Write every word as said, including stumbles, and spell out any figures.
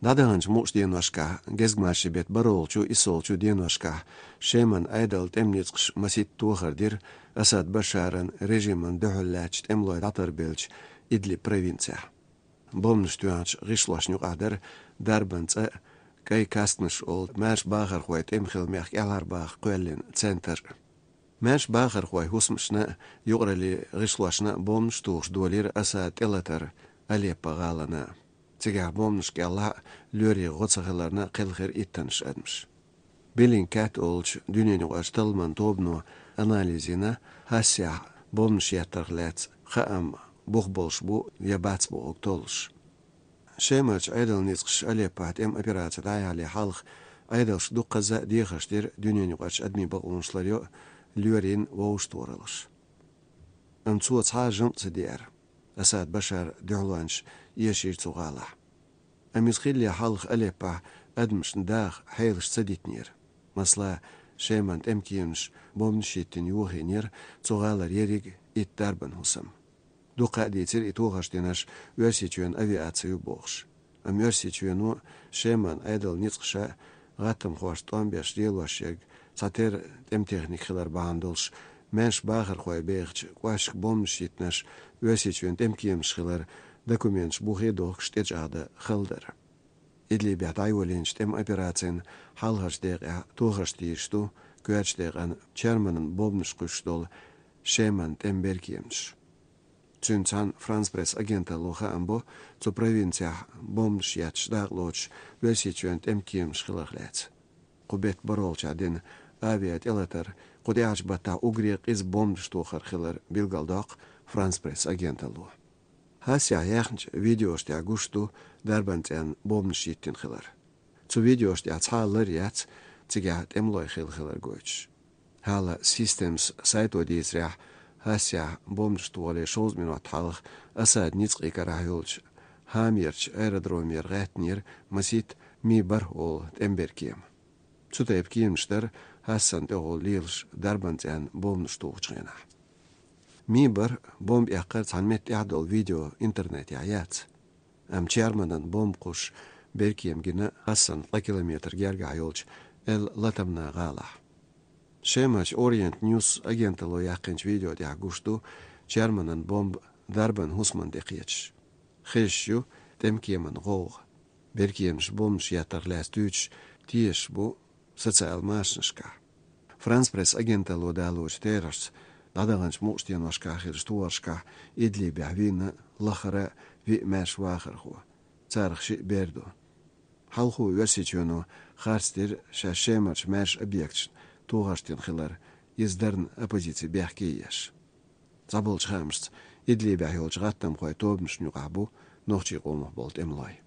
ДӀадаханчу мукъачу деношкахь, гезгмашин беттан бархӀолгӀачу, иссолгӀачу деношкахь Шеман Ӏедалан тӀеман ницкъаша масийтта тохар дира Асад Башаран режимана дуьхьал лаьттачу тӀемалой дӀатарбеллачу Идлиб провинцехь. Бомбанаш тоьхначу гӀишлошна юкъахь дара дарбан цӀа а, кӀайн касканаш олу маьрша бахархойн тӀеман хила мехкан кӀелхьарбаха кхоьллина центр а. Маьрша бахархойн хӀусамашна а, юкъараллин гӀишлошна а бомбанаш тухуш долийра Асадан тӀелатар Алеппо гӀалана. Цигахь бомбанашна кӀелахь а, лоьрийн гӀо ца хиларна, кхелхира иттаннаш адамаш. Bellingcat олучу дуьненаюкъарчу талламан тобано анализ йина, хӀассехь бомбанаш еттарх лаьцна хаам бух болуш бу я бац бохург толлуш. Шемарчу Ӏедалан ницкъаша Алеппохь тӀеман операци дӀаяхьале хьалха, Ӏедалша дуккхазза а дехарш дира дуьненаюкъарчу адамийн бакъонаш ларъян а, лоьрийн вовшахтохараллаш. Амма цо цхьа а жамӀ ца деара. Асад Башаран дуьхьалончаш эшийра цу гӀалахь. Амма иза хиллале хьалха Алеппохь адамашна даха хьелаш ца дитинера. Масала, Шеман тӀеман кеманаша бомбанаш йиттина йохийнера цу гӀалара ерриг итт дарбан хӀусам. Дуккха а дийцира и тохарш динарш Оьрсийчоьнан авиаци ю бохуш. Амма Оьрсийчоьно а, Шеман Ӏедалан ницкъаша а гӀаттамхошна тӀом беш лелош ерг цхьа терра тӀеман техника хилар бахьана долуш, маьрша бахархой бехачу кӀошташка бомбанаш йиттинарш Оьрсийчоьнан тӀеман кеманаш хилар документаш бухе а дохкуш тӀечӀагӀдан хала дара. Идлибехь дӀайолийначу тӀеман операцин хьалхарчу декъехь тохарш тийраш ду коьртачу декъана Черманан бомбанаш кхуьссуш долу Шеман тӀеман беркеманаш. Цуьнца цхьаьна Франс Пресс агенталло хаам бо цу провинцехь бомбанаш етташ дакъалоцуш Оьрсийчоьнан тӀеман кеманаш хиларх лаьцна. Кху беттан бархӀолгӀачохь дина авиатӀелатар кху тӀаьхьарчу баттахь уггаре къиза бомбанаш тохар хилар билгалдоккху Франс Пресс агенталло. ХӀассехь яьхначу видеошна тӀехь гуш ду дарбан цӀенна бомбанаш йиттина хилар. Цу видеошна тӀехь цхьа а лар яц, цигахь тӀемалой хилла хилар гойтуш. Hala Systems сайто дийцарехь, хӀассехь бомбанаш тохале шовзткъа минот хьалха Асадан ницкъийн карахь йолчу Хамерчу аэродромера гӀаьттинера масийтта Ми-бархӀ олу тӀеман беркема. Цу тайпа кеманаш дара хӀассана тӀехула лелаш дарбан цӀенна бомбанаш тухучу хенахь. Ми-бархӀ бомба эккхар цхьана метта тӀехь долу видео интернетехь яц. Амма Черманан бомба кхуссуш беркема гина хӀассана ткъа километр гергахь йолчу Эл-Латамна гӀалахь. Шемарчу Ориент Ньюс агенталло яьккхинчу видео тӀехь гуш ду Черманан бомба дарбан хӀусамна тӀе кхеташ. Хезаш ю тӀеман кеман гӀовгӀа. Беркеманаш бомбанаш еттарх лаьцна туьйцуш тешаш бу социал машанашкахь. Франс Пресс агенталло далочу терахьца, дӀадаханчу мукъачу деношкахь хиллачу тохаршкахь Идлибехь вийна лахара виъ маьрша вахархо. Царах шиъ бер ду. Хьалхо Оьрсийчоьно харц дира шаьш Шемарчу маьрша объекташна тохарш дина хилар, иза дарна оппозици бехке еш. ДӀаболчу хаамашца, Идлибехь йолчу гӀаттамхойн тобанашна юкъахь бу нохчийн къомах болу тӀемалой.